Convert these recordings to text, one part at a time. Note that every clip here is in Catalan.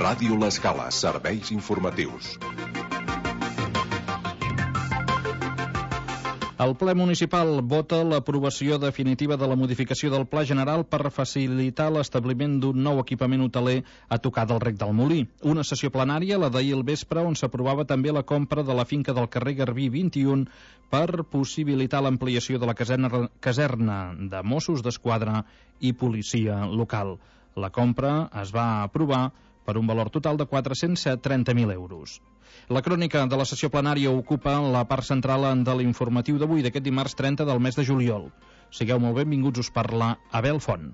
Ràdio L'Escala, serveis informatius. El ple municipal vota l'aprovació definitiva de la modificació del Pla General per facilitar l'establiment d'un nou equipament hoteler a tocar del Rec del Molí. Una sessió plenària, la d'ahir al vespre, on s'aprovava també la compra de la finca del carrer Garbí 21 per possibilitar l'ampliació de la caserna de Mossos d'Esquadra i policia local. La compra es va aprovar per un valor total de 430.000 euros. La crònica de la sessió plenària ocupa la part central de l'informatiu d'avui, d'aquest dimarts 30 del mes de juliol. Sigueu molt benvinguts, us parla Abel Font.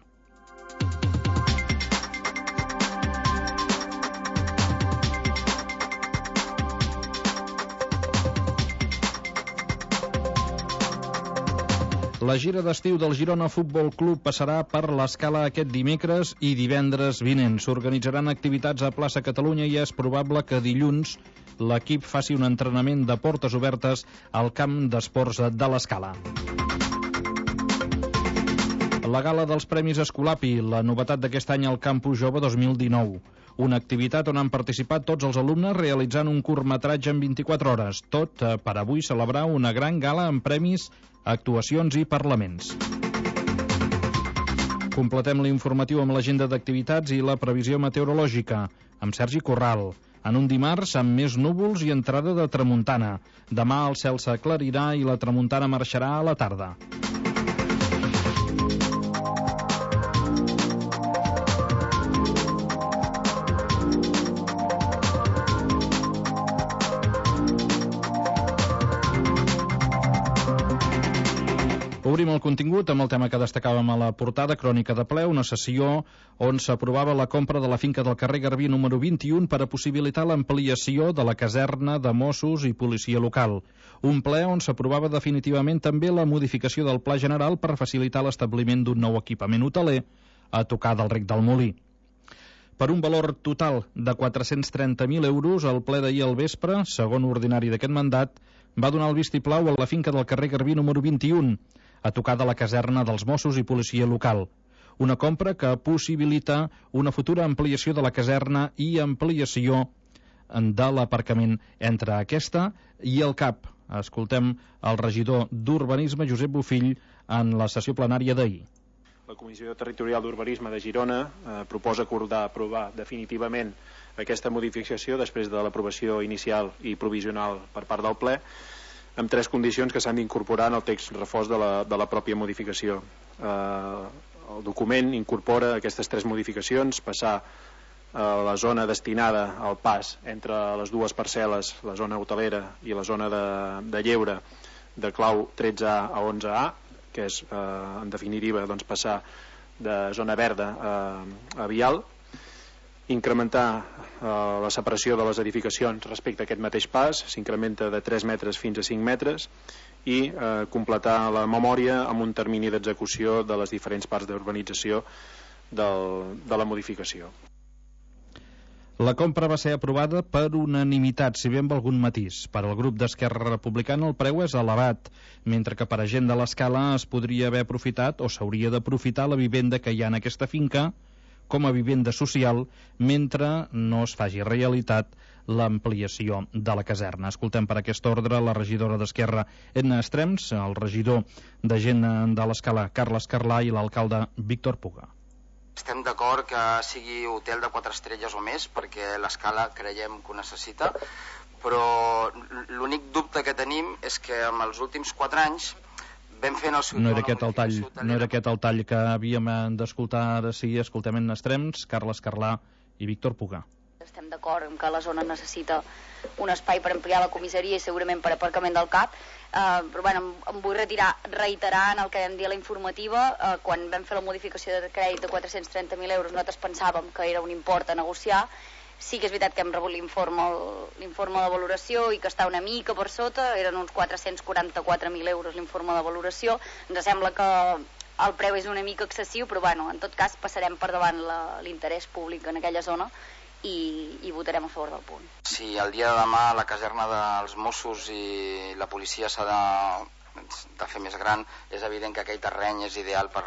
La gira d'estiu del Girona Futbol Club passarà per l'Escala aquest dimecres i divendres vinent. S'organitzaran activitats a Plaça Catalunya i és probable que dilluns l'equip faci un entrenament de portes obertes al camp d'esports de l'Escala. La gala dels Premis Escolapi, la novetat d'aquest any al Campus Jove 2019. Una activitat on han participat tots els alumnes realitzant un curtmetratge en 24 hores. Tot per avui celebrar una gran gala amb premis, actuacions i parlaments. Completem l'informatiu amb l'agenda d'activitats i la previsió meteorològica, amb Sergi Corral. En un dimarts amb més núvols i entrada de tramuntana. Demà el cel s'aclarirà i la tramuntana marxarà a la tarda. Obrim el contingut amb el tema que destacàvem a la portada, crònica de ple, una sessió on s'aprovava la compra de la finca del carrer Garbí número 21 per a possibilitar l'ampliació de la caserna de Mossos i policia local. Un ple on s'aprovava definitivament també la modificació del Pla General per facilitar l'establiment d'un nou equipament hoteler a tocar del Rec del Molí. Per un valor total de 430.000 euros, el ple d'ahir al vespre, segon ordinari d'aquest mandat, va donar el vistiplau a la finca del carrer Garbí número 21, a tocar de la caserna dels Mossos i policia local. Una compra que possibilita una futura ampliació de la caserna i ampliació de l'aparcament entre aquesta i el CAP. Escoltem el regidor d'Urbanisme, Josep Bofill, en la sessió plenària d'ahir. La Comissió Territorial d'Urbanisme de Girona proposa aprovar definitivament aquesta modificació després de l'aprovació inicial i provisional per part del ple, amb tres condicions que s'han d'incorporar en el text refós de la pròpia modificació. El document incorpora aquestes tres modificacions: passar a la zona destinada al pas entre les dues parcel·les, la zona hotelera i la zona de lleure, de clau 13A a 11A, que és en definitiva passar de zona verda a vial, incrementar la separació de les edificacions respecte a aquest mateix pas, s'incrementa de 3 metres fins a 5 metres, i completar la memòria amb un termini d'execució de les diferents parts d'urbanització de la modificació. La compra va ser aprovada per unanimitat, si bé amb algun matís. Per al grup d'Esquerra Republicana el preu és elevat, mentre que per a gent de l'Escala es podria haver aprofitat o s'hauria d'aprofitar la vivenda que hi ha en aquesta finca com a vivenda social mentre no es faci realitat l'ampliació de la caserna. Escoltem per aquest ordre la regidora d'Esquerra, Edna Estrems, el regidor de gent de l'Escala, Carles Carlà, i l'alcalde Víctor Puga. Estem d'acord que sigui hotel de 4 estrelles o més, perquè l'Escala creiem que ho necessita, però l'únic dubte que tenim és que en els últims 4 anys vam fer en el No era aquest el tall que havíem d'escoltar ara. Sí, escoltem en Estrems, Carles Carlà i Víctor Puga. Estem d'acord en que la zona necessita un espai per ampliar la comissaria i segurament per aparcament del CAP, però bueno, em vull reiterar en el que vam dir a la informativa. Quan vam fer la modificació de crèdit de 430.000 euros nosaltres pensàvem que era un import a negociar. Sí que és veritat que hem rebut l'informe de valoració i que està una mica per sota, eren uns 444.000 euros l'informe de valoració. Ens sembla que el preu és una mica excessiu, però bueno, en tot cas passarem per davant l'interès públic en aquella zona i votarem a favor del punt. Si el dia de demà la caserna dels Mossos i la policia s'ha de fer més gran, és evident que aquell terreny és ideal per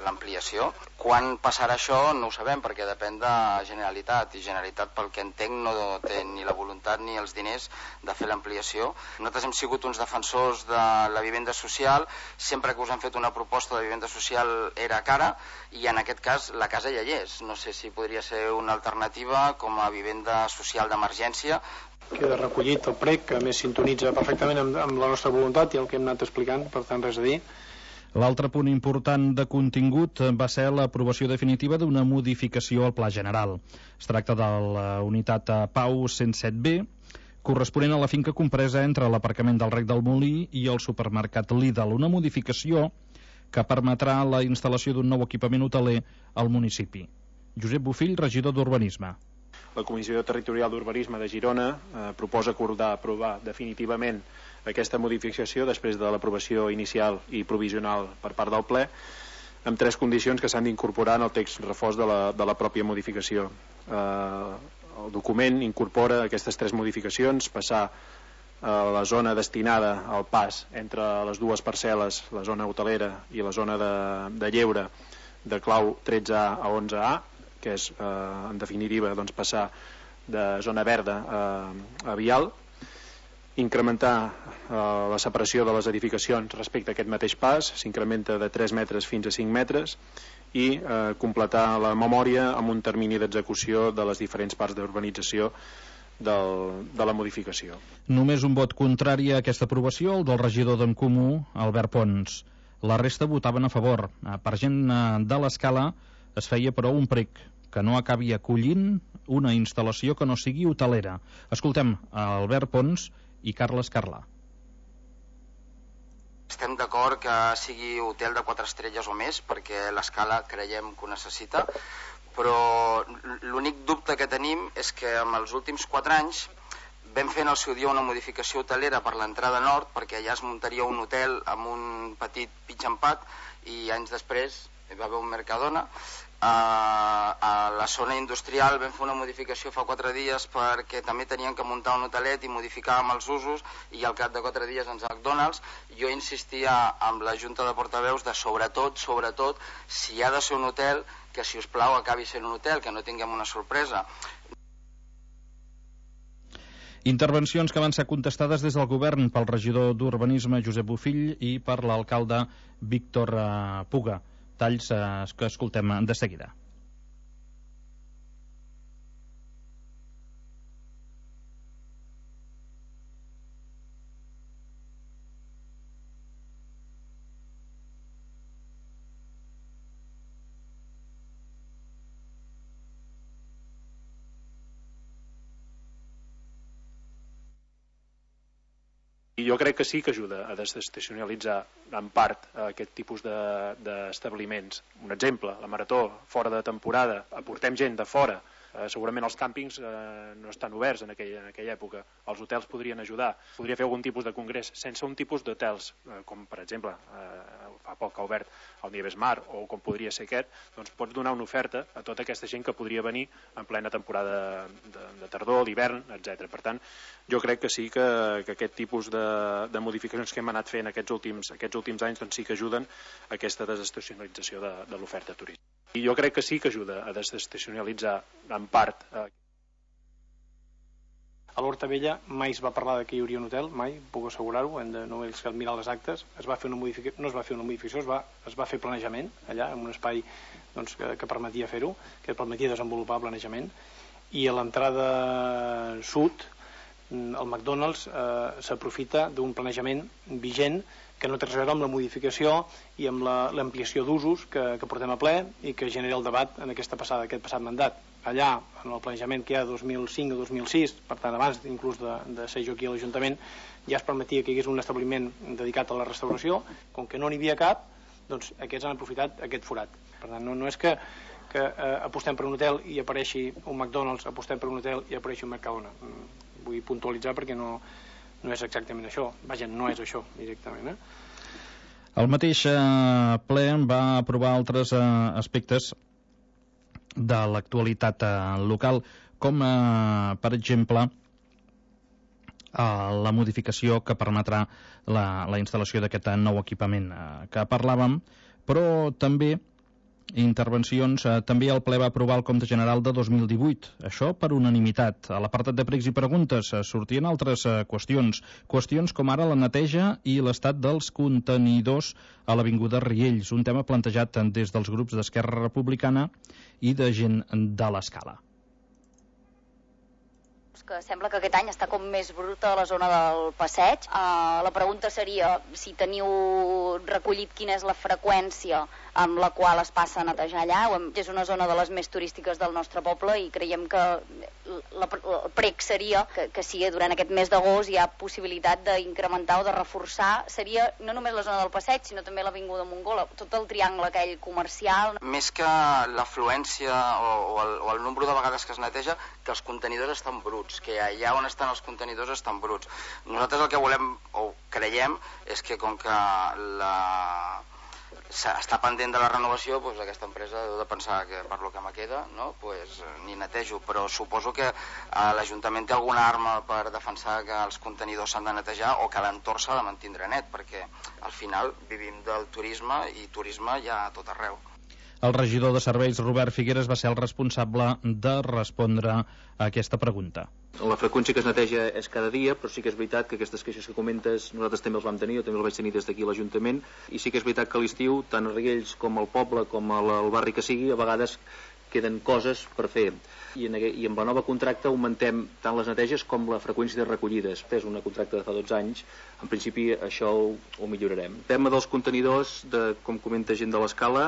l'ampliació. Quan passarà això no ho sabem, perquè depèn de Generalitat, i Generalitat, pel que entenc, no té ni la voluntat ni els diners de fer l'ampliació. Nosaltres hem sigut uns defensors de la vivenda social, sempre que us han fet una proposta de vivenda social era cara, i en aquest cas la casa ja hi és. No sé si podria ser una alternativa com a vivenda social d'emergència. Queda recollit el prec, que a més sintonitza perfectament amb la nostra voluntat i el que hem anat explicant, per tant res a dir. L'altre punt important de contingut va ser l'aprovació definitiva d'una modificació al Pla General. Es tracta de la unitat Pau 107B, corresponent a la finca compresa entre l'aparcament del Rec del Molí i el supermercat Lidl. Una modificació que permetrà la instal·lació d'un nou equipament hoteler al municipi. Josep Bofill, regidor d'Urbanisme. La Comissió Territorial d'Urbanisme de Girona proposa aprovar definitivament aquesta modificació després de l'aprovació inicial i provisional per part del ple, amb 3 condicions que s'han d'incorporar en el text refós de la pròpia modificació. El document incorpora aquestes 3 modificacions: passar a la zona destinada al pas entre les dues parcel·les, la zona hotelera i la zona de lleure, de clau 13A a 11A, que és, en definitiva, passar de zona verda a vial, incrementar la separació de les edificacions respecte a aquest mateix pas, s'incrementa de 3 metres fins a 5 metres, i completar la memòria amb un termini d'execució de les diferents parts d'urbanització de la modificació. Només un vot contrari a aquesta aprovació, el del regidor d'en Comú, Albert Pons. La resta votaven a favor. Per gent de l'Escala es feia, però, un prec que no acabi acollint una instal·lació que no sigui hotelera. Escoltem Albert Pons i Carles Carlà. Estem d'acord que sigui hotel de 4 estrelles o més, perquè l'Escala creiem que ho necessita, però l'únic dubte que tenim és que en els últims 4 anys vam fer en el seu dia una modificació hotelera per l'entrada nord, perquè allà es muntaria un hotel amb un petit pitch and pad, i anys després hi va haver un Mercadona. A la zona industrial vam fer una modificació fa 4 dies perquè també tenien que muntar un hotelet i modificàvem els usos, i al cap de 4 dies ens McDonald's. Jo insistia amb la Junta de Portaveus de sobretot, si ha de ser un hotel, que si us plau acabi sent un hotel, que no tinguem una sorpresa. Intervencions que van ser contestades des del govern pel regidor d'Urbanisme Josep Bofill i per l'alcalde Víctor Puga. Talls que escoltem de seguida. I jo crec que sí que ajuda a desestacionalitzar en part aquest tipus d'establiments. Un exemple, la Marató, fora de temporada, aportem gent de fora. Segurament els càmpings no estan oberts en aquella època. Els hotels podrien ajudar. Podria fer algun tipus de congrés sense un tipus d'hotels, com per exemple fa poc ha obert el Nieves Mar, o com podria ser aquest. Doncs pots donar una oferta a tota aquesta gent que podria venir en plena temporada de tardor, d'hivern, etc. Per tant, jo crec que sí que aquest tipus de modificacions que hem anat fent aquests últims anys doncs sí que ajuden a aquesta desestacionalització de l'oferta turística. I jo crec que sí que ajuda a desestacionalitzar en part. A l'Horta Vella mai es va parlar que hi hauria un hotel, mai, puc assegurar-ho, només cal mirar les actes. No es va fer una modificació, es va fer planejament allà, en un espai que permetia fer-ho, que permetia desenvolupar planejament, i a l'entrada sud el McDonald's s'aprofita d'un planejament vigent que no té res a veure amb la modificació i amb l'ampliació d'usos que portem a ple i que genera el debat en aquest passat mandat. Allà, en el planejament que hi ha 2005 o 2006, per tant abans inclús de ser jo aquí a l'Ajuntament, ja es permetia que hi hagués un establiment dedicat a la restauració. Com que no n'hi havia cap, doncs aquests han aprofitat aquest forat. Per tant, no és que apostem per un hotel i apareixi un McDonald's, apostem per un hotel i apareixi un Mercadona. Vull puntualitzar perquè no és exactament això. Vaja, no és això directament. El mateix ple va aprovar altres aspectes de l'actualitat local, com per exemple la modificació que permetrà la instal·lació d'aquest nou equipament que parlàvem, però també intervencions. També el ple va aprovar el compte general de 2018, això per unanimitat. A l'apartat de pregs i preguntes sortien altres qüestions com ara la neteja i l'estat dels contenidors a l'Avinguda Riells, un tema plantejat des dels grups d'Esquerra Republicana i de gent de l'Escala. Que sembla que aquest any està com més bruta a la zona del passeig. La pregunta seria si teniu recollit quina és la freqüència amb la qual es passa a netejar allà. És una zona de les més turístiques del nostre poble i creiem que el prec seria que si durant aquest mes d'agost hi ha possibilitat d'incrementar o de reforçar, seria no només la zona del passeig, sinó també l'Avinguda Mongola, tot el triangle aquell comercial. Més que l'afluència o el nombre de vegades que es neteja, que els contenidors estan bruts, que allà on estan els contenidors estan bruts. Nosaltres el que volem o creiem és que com que està pendent de la renovació, doncs aquesta empresa deu de pensar que per lo que me queda, no? Pues, ni netejo, però suposo que l'Ajuntament té alguna arma per defensar que els contenidors s'han de netejar o que l'entorn s'ha de mantindre net, perquè al final vivim del turisme i turisme hi ha a tot arreu. El regidor de serveis, Robert Figueres, va ser el responsable de respondre a aquesta pregunta. La freqüència que es neteja és cada dia, però sí que és veritat que aquestes queixes que comentes nosaltres també els vam tenir, jo també els vaig tenir des d'aquí a l'Ajuntament, i sí que és veritat que a l'estiu, tant a Riells com al poble com al barri que sigui, a vegades queden coses per fer. I amb la nova contracte augmentem tant les neteges com la freqüència de recollides. És un contracte de fa 12 anys, en principi això ho millorarem. El tema dels contenidors, com comenta gent de l'Escala,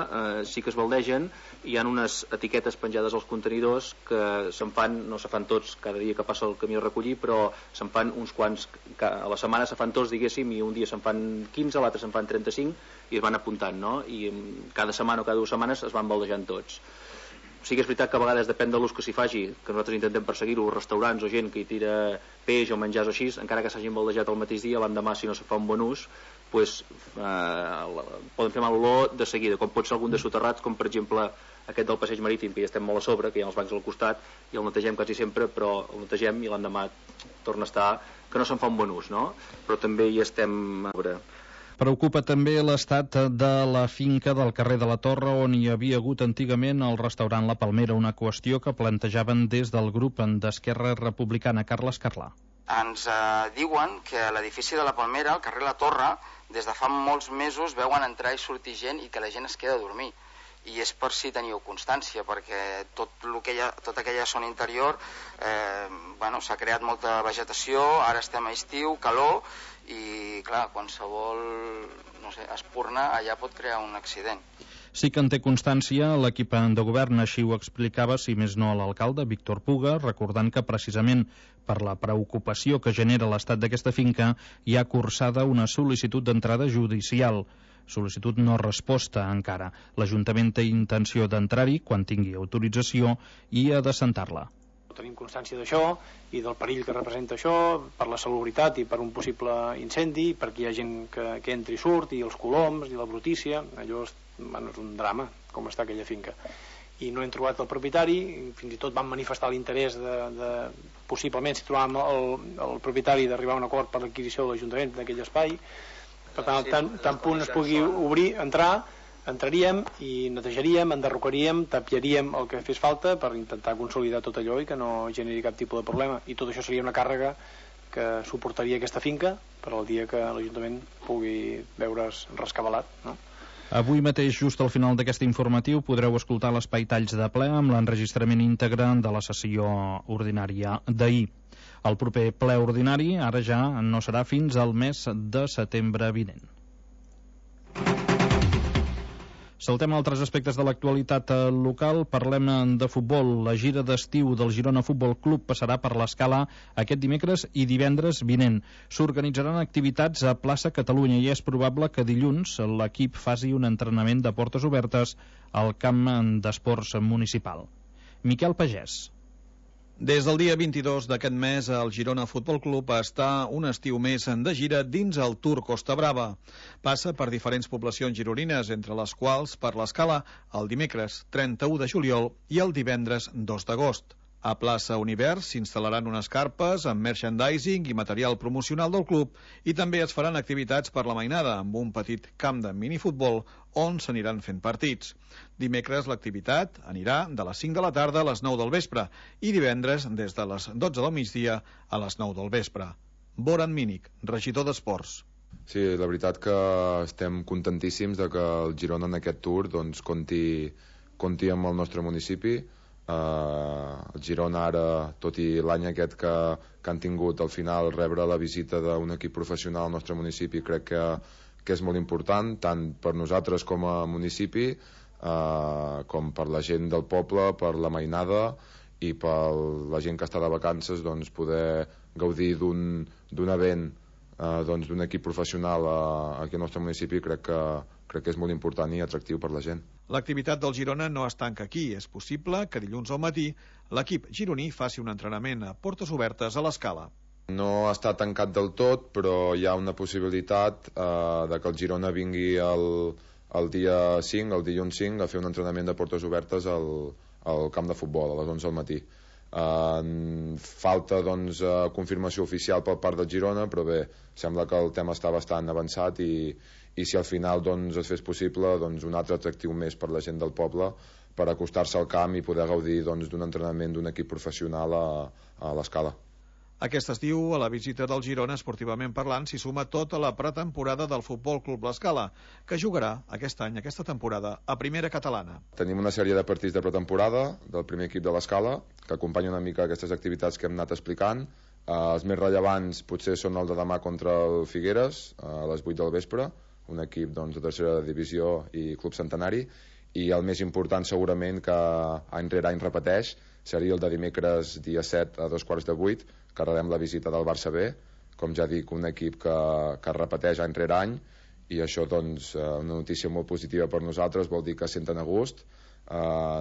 sí que es baldegen, hi ha unes etiquetes penjades als contenidors que se'n fan, no se fan tots cada dia que passa el camió a recollir, però se'n fan uns quants, a la setmana se fan tots, diguéssim, i un dia se'n fan 15, l'altre se'n fan 35, i es van apuntant, no? I cada setmana o cada 2 setmanes es van baldejant tots. Sí que és veritat que a vegades depèn de l'ús que s'hi faci, que nosaltres intentem perseguir-ho, restaurants o gent que hi tira peix o menjars o així, encara que s'hagin baldejat el mateix dia, l'endemà, si no se fa un bon ús, pues, poden fer mal olor de seguida, com pot ser algun de soterrats, com per exemple aquest del passeig marítim, que ja estem molt a sobre, que hi ha els bancs al costat, i el netegem quasi sempre, però el netegem i l'endemà torna a estar, que no se'n fa un bon ús, no? Però també hi estem a veure. Preocupa també l'estat de la finca del carrer de la Torre, on hi havia hagut antigament el restaurant La Palmera, una qüestió que plantejaven des del grup d'Esquerra Republicana. Carles Carlà. Ens diuen que a l'edifici de La Palmera, al carrer La Torre, des de fa molts mesos veuen entrar i sortir gent i que la gent es queda a dormir. I és per si teniu constància, perquè tota aquella zona interior s'ha creat molta vegetació, ara estem a estiu, calor, i clar, qualsevol espurna allà pot crear un accident. Sí que en té constància l'equip de govern, així ho explicava, si més no, l'alcalde Víctor Puga, recordant que precisament per la preocupació que genera l'estat d'aquesta finca hi ha cursada una sol·licitud d'entrada judicial. Sol·licitud no resposta encara. L'Ajuntament té intenció d'entrar-hi quan tingui autorització i ha de sentar-la. Tenim constància d'això i del perill que representa això per la salubritat i per un possible incendi, perquè hi ha gent que entra i surt, i els coloms i la brutícia. Allò és un drama, com està aquella finca. I no hem trobat el propietari, fins i tot vam manifestar l'interès de possiblement, si trobàvem el propietari, d'arribar a un acord per l'adquisició de l'Ajuntament d'aquell espai. Per tant, tant punt es pugui obrir, entraríem i netejaríem, enderrocaríem, tapiaríem el que fes falta per intentar consolidar tot allò i que no generi cap tipus de problema. I tot això seria una càrrega que suportaria aquesta finca per al dia que l'Ajuntament pugui veure's rescabalat, no? Avui mateix, just al final d'aquest informatiu, podreu escoltar l'espai Talls de ple amb l'enregistrament íntegre de la sessió ordinària d'ahir. El proper ple ordinari ara ja no serà fins al mes de setembre vinent. Saltem a altres aspectes de l'actualitat local. Parlem de futbol. La gira d'estiu del Girona Futbol Club passarà per l'Escala aquest dimecres i divendres vinent. S'organitzaran activitats a plaça Catalunya i és probable que dilluns l'equip faci un entrenament de portes obertes al camp d'esports municipal. Miquel Pagès. Des del dia 22 d'aquest mes, el Girona Futbol Club està un estiu més de gira dins el Tour Costa Brava. Passa per diferents poblacions gironines, entre les quals per l'Escala el dimecres 31 de juliol i el divendres 2 d'agost. A plaça Univers s'instal·laran unes carpes amb merchandising i material promocional del club i també es faran activitats per la mainada amb un petit camp de minifutbol on s'aniran fent partits. Dimecres l'activitat anirà de les 5 de la tarda a les 9 del vespre i divendres des de les 12 del migdia a les 9 del vespre. Boran Mínic, regidor d'Esports. Sí, la veritat que estem contentíssims de que el Girona en aquest tour doncs, compti amb el nostre municipi. El Girona ara, tot i l'any aquest que han tingut al final rebre la visita d'un equip professional al nostre municipi, crec que és molt important, tant per nosaltres com a municipi, com per la gent del poble, per la mainada i per la gent que està de vacances, doncs, poder gaudir d'un event d'un equip professional aquí al nostre municipi crec que és molt important i atractiu per la gent. L'activitat del Girona no es tanca aquí. És possible que dilluns al matí l'equip gironí faci un entrenament a portes obertes a l'Escala. No està tancat del tot, però hi ha una possibilitat de que el Girona vingui el dia 5, el dilluns 5, a fer un entrenament de portes obertes al camp de futbol a les 11 del matí. Falta doncs confirmació oficial per part del Girona, però bé, sembla que el tema està bastant avançat i si al final doncs, es fes possible doncs, un altre atractiu més per la gent del poble per acostar-se al camp i poder gaudir doncs, d'un entrenament d'un equip professional a l'Escala. Aquest estiu, a la visita del Girona, esportivament parlant, s'hi suma tota la pretemporada del Futbol Club l'Escala, que jugarà aquest any, aquesta temporada, a Primera Catalana. Tenim una sèrie de partits de pretemporada del primer equip de l'Escala, que acompanyen una mica aquestes activitats que hem anat explicant. Els més rellevants potser són el de demà contra el Figueres, a les 8 del vespre, un equip doncs, de tercera divisió i club centenari, i el més important segurament que any rere any repeteix seria el de dimecres dia 7 a 7:45, que rebem la visita del Barça B, com ja dic, un equip que repeteix any rere any, i això doncs una notícia molt positiva per nosaltres, vol dir que senten a gust.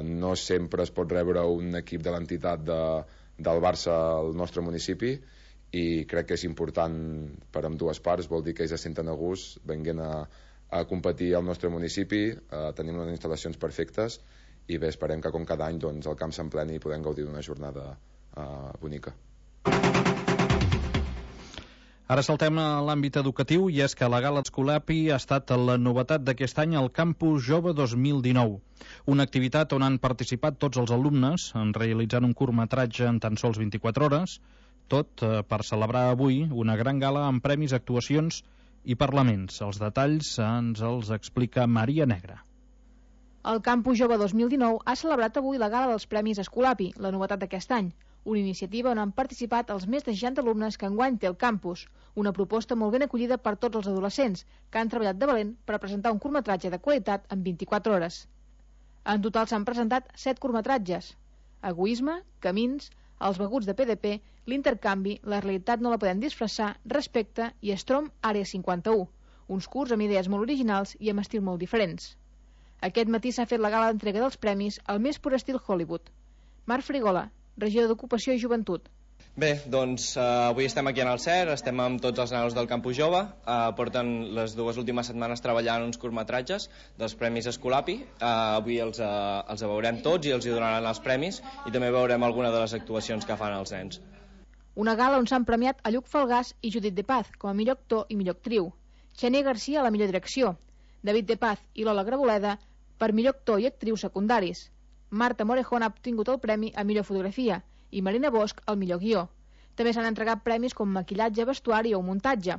No sempre es pot rebre un equip de l'entitat del Barça al nostre municipi, i crec que és important per ambdues parts, vol dir que ells es senten a gust venint a competir al nostre municipi. Tenim unes instal·lacions perfectes i bé, esperem que com cada any doncs, el camp s'empleni i podem gaudir d'una jornada bonica. Ara saltem a l'àmbit educatiu, i és que la Gala Escolapi ha estat la novetat d'aquest any al Campus Jove 2019. Una activitat on han participat tots els alumnes, realitzant un curtmetratge en tan sols 24 hores, tot per celebrar avui una gran gala amb premis, actuacions i parlaments. Els detalls ens els explica Maria Negra. El Campus Jove 2019 ha celebrat avui la Gala dels Premis Escolapi, la novetat d'aquest any, una iniciativa on han participat els més de 60 alumnes que enguany té el campus, una proposta molt ben acollida per tots els adolescents, que han treballat de valent per presentar un curtmetratge de qualitat en 24 hores. En total s'han presentat 7 curtmetratges: Egoisme, Camins, Els beguts de PDP, L'intercanvi, La realitat no la podem disfressar, Respecte i Strom Àrea 51, uns curts amb idees molt originals i amb estil molt diferents. Aquest matí s'ha fet la gala d'entrega dels premis al més pur estil Hollywood. Marc Frigola, regidor d'Ocupació i Joventut. Bé, doncs avui estem aquí en el CER, estem amb tots els nanos del Campus Jove, porten les 2 últimes setmanes treballant uns curtmetratges dels Premis Escolapi. Avui els veurem tots i els hi donaran els premis, i també veurem alguna de les actuacions que fan els nens. Una gala on s'han premiat a Lluc Falgàs i Judit de Paz com a millor actor i millor actriu, Xenia Garcia a la millor direcció, David de Paz i Lola Graboleda per millor actor i actriu secundaris. Marta Morejón ha obtingut el premi a millor fotografia i Marina Bosch el millor guió. També s'han entregat premis com maquillatge, vestuari o muntatge.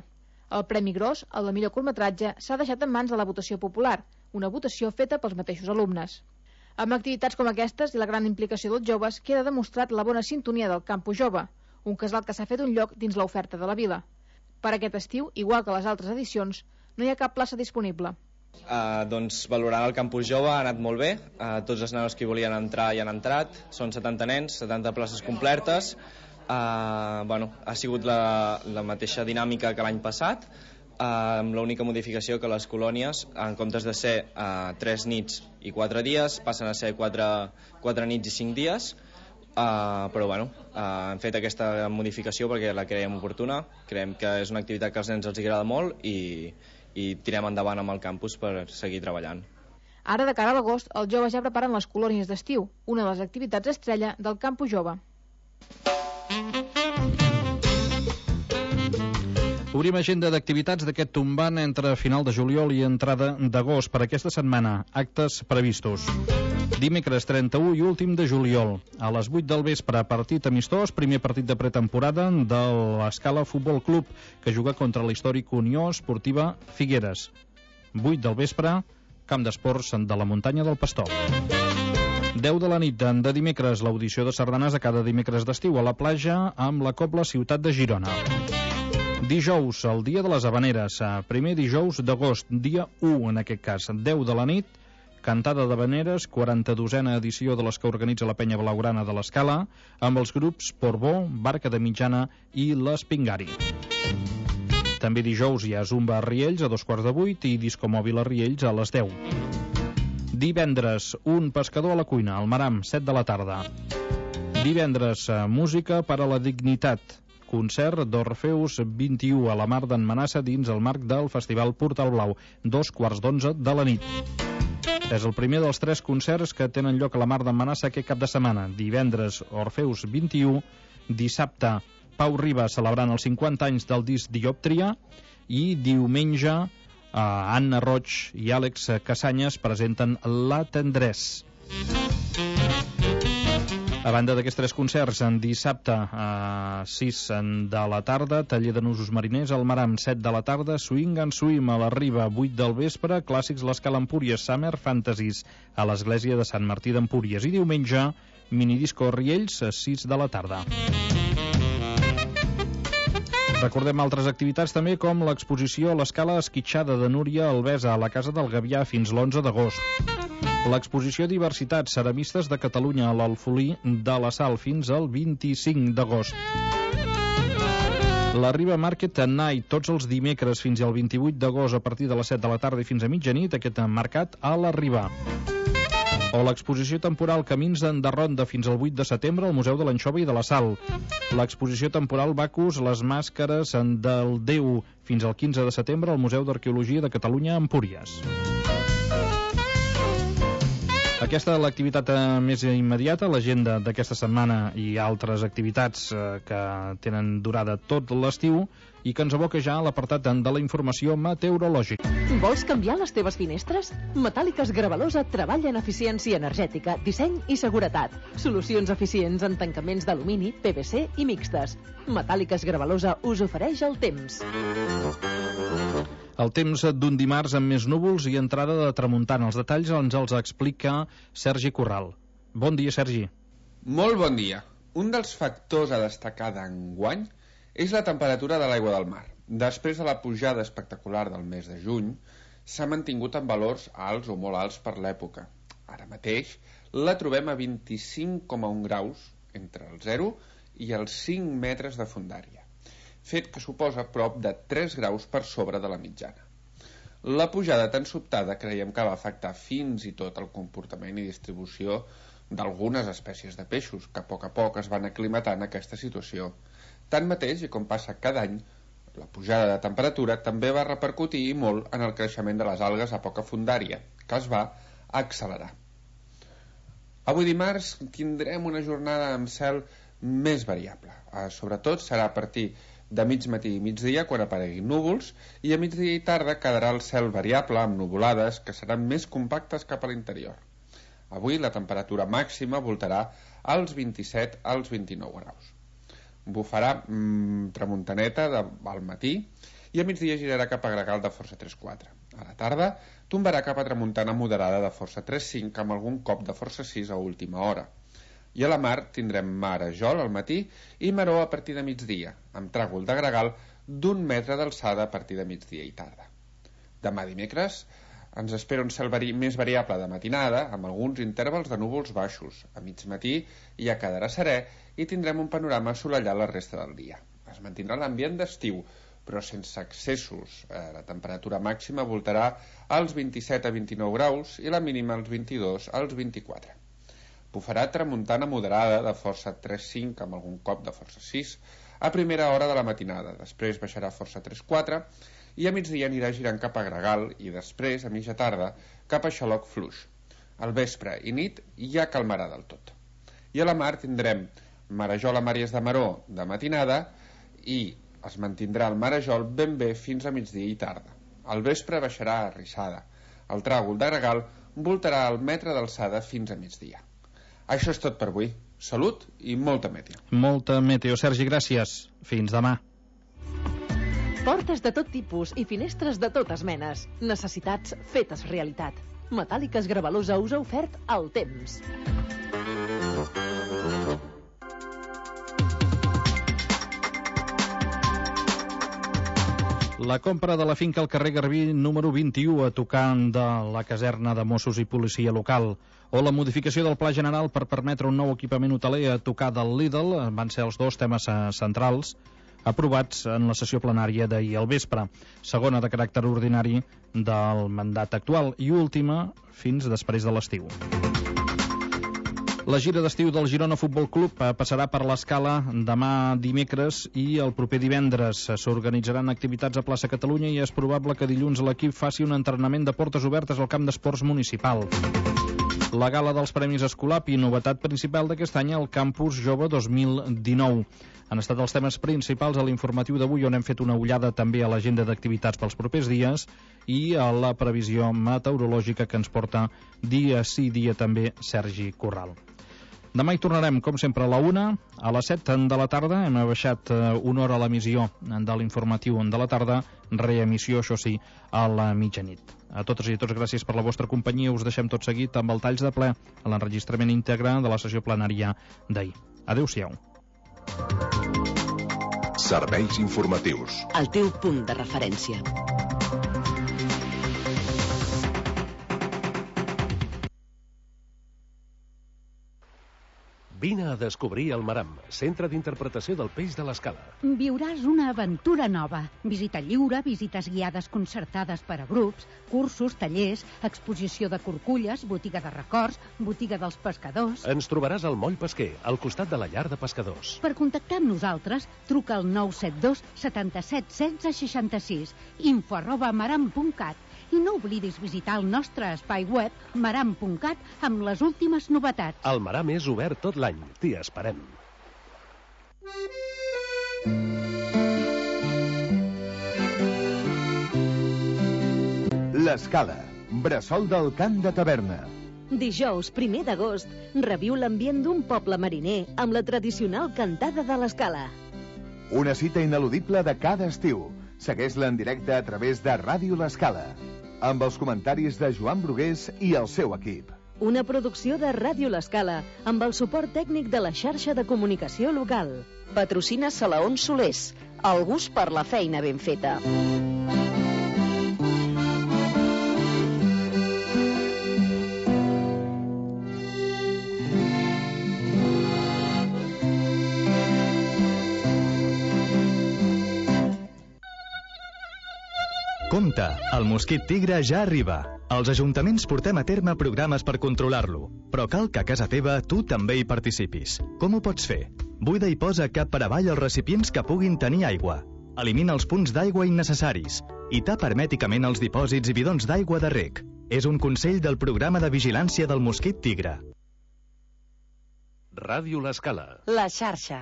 El premi gros, el de millor curtmetratge, s'ha deixat en mans de la votació popular, una votació feta pels mateixos alumnes. Amb activitats com aquestes i la gran implicació dels joves queda demostrat la bona sintonia del Campus Jove, un casal que s'ha fet un lloc dins l'oferta de la vila. Per aquest estiu, igual que les altres edicions, no hi ha cap plaça disponible. Doncs valorant el Campus Jove ha anat molt bé, tots els nanos que hi volien entrar hi han entrat, són 70 nens, 70 places completes. Ha sigut la mateixa dinàmica que l'any passat, amb l'única modificació que les colònies, en comptes de ser 3 nits i 4 dies, passen a ser 4 nits i 5 dies, però han fet aquesta modificació perquè la creiem oportuna, creiem que és una activitat que als nens els agrada molt i tirem endavant amb el campus per seguir treballant. Ara, de cara a l'agost, els joves ja preparen les colònies d'estiu, una de les activitats estrella del Campus Jove. Obrim agenda d'activitats d'aquest tombant entre final de juliol i entrada d'agost per aquesta setmana. Actes previstos. Dimecres 31 i últim de juliol. A les 8 del vespre, partit amistós, primer partit de pretemporada de l'Escala Futbol Club, que juga contra l'històric Unió Esportiva Figueres. 8 del vespre, camp d'esports de la muntanya del Pastor. 10 de la nit de dimecres, l'audició de sardanes a cada dimecres d'estiu a la platja amb la Cobla Ciutat de Girona. Dijous, el dia de les Havaneres, primer dijous d'agost, dia 1 en aquest cas, 10 de la nit, cantada d'Havaneres, 42a edició de les que organitza la penya blaugrana de l'Escala, amb els grups Portbó, Barca de Mitjana i l'Espingari. També dijous hi ha Zumba a Riells a 7:15 i Disco Mòbil a Riells a les 10. Divendres, un pescador a la cuina, al Maram, 7 de la tarda. Divendres, música per a la dignitat. Concert d'Orfeus 21 a la Mar d'en Manassa dins el marc del Festival Portal Blau, 2:15 de la nit. És el primer dels 3 concerts que tenen lloc a la Mar d'en Manassa aquest cap de setmana. Divendres, Orfeus 21, dissabte, Pau Riba celebrant els 50 anys del disc Diòptria i diumenge, Anna Roig i Àlex Casanyes presenten La Tendrès. A banda d'aquests 3 concerts, en dissabte a 6 de la tarda, taller de nusos mariners al Maram, 7 de la tarda, Swing and Swim a la Riba, 8 del vespre, clàssics l'Escala Empúries, Summer Fantasies a l'església de Sant Martí d'Empúries, i diumenge, minidisco Riells, a 6 de la tarda. Recordem altres activitats també, com l'exposició a l'Escala Esquitxada de Núria Albesa a la Casa del Gavià fins l'11 d'agost. L'exposició Diversitat, ceramistes de Catalunya a l'Alfolí de la Sal fins al 25 d'agost. La Riba Market Night, tots els dimecres fins al 28 d'agost a partir de les 7 de la tarda i fins a mitjanit, aquest mercat a la Riba. O l'exposició temporal Camins de Ronda fins al 8 de setembre al Museu de l'Anxova i de la Sal. L'exposició temporal Bacus, les màscares del Déu fins al 15 de setembre al Museu d'Arqueologia de Catalunya a Empúries. Aquesta és l'activitat més immediata, l'agenda d'aquesta setmana i altres activitats que tenen durada tot l'estiu i que ens aboca ja a l'apartat de la informació meteorològica. Vols canviar les teves finestres? Metàl·liques Gravalosa treballa en eficiència energètica, disseny i seguretat. Solucions eficients en tancaments d'alumini, PVC i mixtes. Metàl·liques Gravalosa us ofereix el temps. El temps d'un dimarts amb més núvols i entrada de tramuntana. Els detalls ens els explica Sergi Corral. Bon dia, Sergi. Molt bon dia. Un dels factors a destacar d'enguany és la temperatura de l'aigua del mar. Després de la pujada espectacular del mes de juny, s'ha mantingut en valors alts o molt alts per l'època. Ara mateix la trobem a 25,1 graus entre el 0 i els 5 metres de fondària, fet que suposa prop de 3 graus per sobre de la mitjana. La pujada tan sobtada creiem que va afectar fins i tot el comportament i distribució d'algunes espècies de peixos, que a poc es van aclimatant a aquesta situació. Tanmateix, i com passa cada any, la pujada de temperatura també va repercutir molt en el creixement de les algues a poca fondària, que es va accelerar. Avui dimarts tindrem una jornada amb cel més variable. Sobretot serà a partir de mig matí i migdia quan apareguin núvols, i a migdia i tarda quedarà el cel variable amb nuvolades que seran més compactes cap a l'interior. Avui la temperatura màxima voltarà als 27 als 29 graus. Bufarà tramuntaneta al matí i a migdia girarà cap a gregal de força 3-4. A la tarda tombarà cap a tramuntana moderada de força 3-5 amb algun cop de força 6 a última hora. I a la mar tindrem marejol al matí i maró a partir de migdia, amb tràgol de gregal d'1 metre d'alçada a partir de migdia i tarda. Demà dimecres ens espera un cel més variable de matinada, amb alguns intervals de núvols baixos. A mig matí ja quedarà serè i tindrem un panorama assolellat la resta del dia. Es mantindrà l'ambient d'estiu, però sense excessos. La temperatura màxima voltarà als 27 a 29 graus i la mínima als 22 als 24. Bufarà tramuntana moderada de força 3-5 amb algun cop de força 6 a primera hora de la matinada, després baixarà força 3-4 i a migdia anirà girant cap a gregal i després, a mitja tarda, cap a xaloc fluix. Al vespre i nit ja calmarà del tot. I a la mar tindrem Marejol a Màries de Maró de matinada i es mantindrà el marejol ben bé fins a migdia i tarda. Al vespre baixarà a Rissada. El tràgol de Gregal voltarà al metre d'alçada fins a migdia. Això és tot per avui. Salut i molta meteo. Molta meteo. Sergi, gràcies. Fins demà. Portes de tot tipus i finestres de totes menes. Necessitats fetes realitat. Metàl·liques Gravalusa us ha ofert el temps. La compra de la finca al carrer Garbí número 21 a tocar de la caserna de Mossos i Policia Local o la modificació del Pla General per permetre un nou equipament hoteler a tocar del Lidl van ser els dos temes centrals aprovats en la sessió plenària d'ahir al vespre, segona de caràcter ordinari del mandat actual i última fins després de l'estiu. La gira d'estiu del Girona Futbol Club passarà per l'Escala demà dimecres i el proper divendres. S'organitzaran activitats a Plaça Catalunya i és probable que dilluns l'equip faci un entrenament de portes obertes al camp d'esports municipal. La gala dels Premis Escolapi, novetat principal d'aquest any al Campus Jove 2019. Han estat els temes principals a l'informatiu d'avui, on hem fet una ullada també a l'agenda d'activitats pels propers dies i a la previsió meteorològica que ens porta dia sí dia també Sergi Corral. Demà hi tornarem, com sempre, a la 1, a les 7 de la tarda. Hem baixat una hora a l'emissió de l'informatiu de la tarda, reemissió, això sí, a la mitjanit. A totes i a tots, gràcies per la vostra companyia. Us deixem tot seguit amb el talls de ple a l'enregistrament íntegre de la sessió plenària d'ahir. Adéu-siau. Serveis informatius. El teu punt de referència. Vine a descobrir el Maram, centre d'interpretació del peix de l'Escala. Viuràs una aventura nova. Visita lliure, visites guiades concertades per a grups, cursos, tallers, exposició de corculles, botiga de records, botiga dels pescadors... Ens trobaràs al Moll Pesquer, al costat de la llar de pescadors. Per contactar amb nosaltres, truca al 972 77 16 66, info@maram.cat. I no oblidis visitar el nostre espai web maram.cat amb les últimes novetats. El Maram és obert tot l'any. T'hi esperem. L'Escala, bressol del cant de taverna. Dijous, 1 d'agost, reviu l'ambient d'un poble mariner amb la tradicional cantada de l'Escala. Una cita ineludible de cada estiu. Segueix-la en directe a través de Ràdio L'Escala, amb els comentaris de Joan Brugués i el seu equip. Una producció de Ràdio L'Escala, amb el suport tècnic de la xarxa de comunicació local. Patrocina Salaons Solers, el gust per la feina ben feta. Compte, el mosquit tigre ja arriba. Els ajuntaments portem a terme programes per controlar-lo, però cal que a casa teva tu també hi participis. Com ho pots fer? Buida i posa cap per avall els recipients que puguin tenir aigua. Elimina els punts d'aigua innecessaris i tapa hermèticament els dipòsits i bidons d'aigua de reg. És un consell del programa de vigilància del mosquit tigre. Ràdio L'Escala. La xarxa.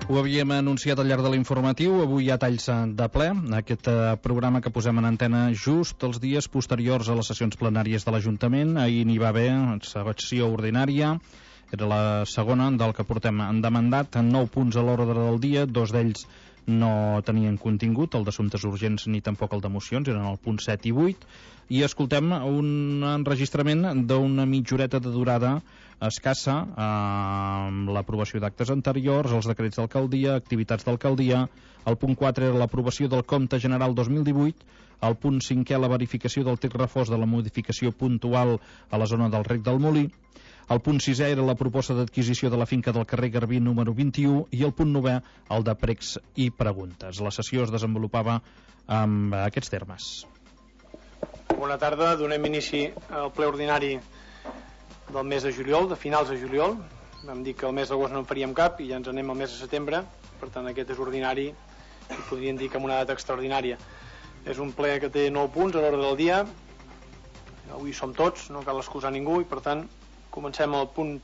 Ho havíem anunciat al llarg de l'informatiu, avui hi ha talls de ple, aquest programa que posem en antena just els dies posteriors a les sessions plenàries de l'Ajuntament. Ahir n'hi va haver sessió ordinària, era la segona del que portem de mandat, 9 punts a l'ordre del dia, 2 d'ells no tenien contingut, el d'assumptes urgents ni tampoc el de mocions, eren el punt 7 i 8, i escoltem un enregistrament d'una mitja horeta de durada escassa amb l'aprovació d'actes anteriors, els decrets d'alcaldia, activitats d'alcaldia. El punt 4 era l'aprovació del compte general 2018, el punt 5è la verificació del text refós de la modificació puntual a la zona del Rec del Molí, el punt 6è era la proposta d'adquisició de la finca del carrer Garbí número 21 i el punt 9è el de pregs i preguntes. La sessió es desenvolupava amb aquests termes. Bona tarda, donem inici al ple ordinari del mes de juliol, de finals de juliol. Vam dir que el mes d'agost no en faríem cap i ja ens anem al mes de setembre, per tant aquest és ordinari i podríem dir que amb una data extraordinària. És un ple que té 9 punts a l'ordre del dia. Avui som tots, no cal excusar ningú, i per tant comencem el punt primer.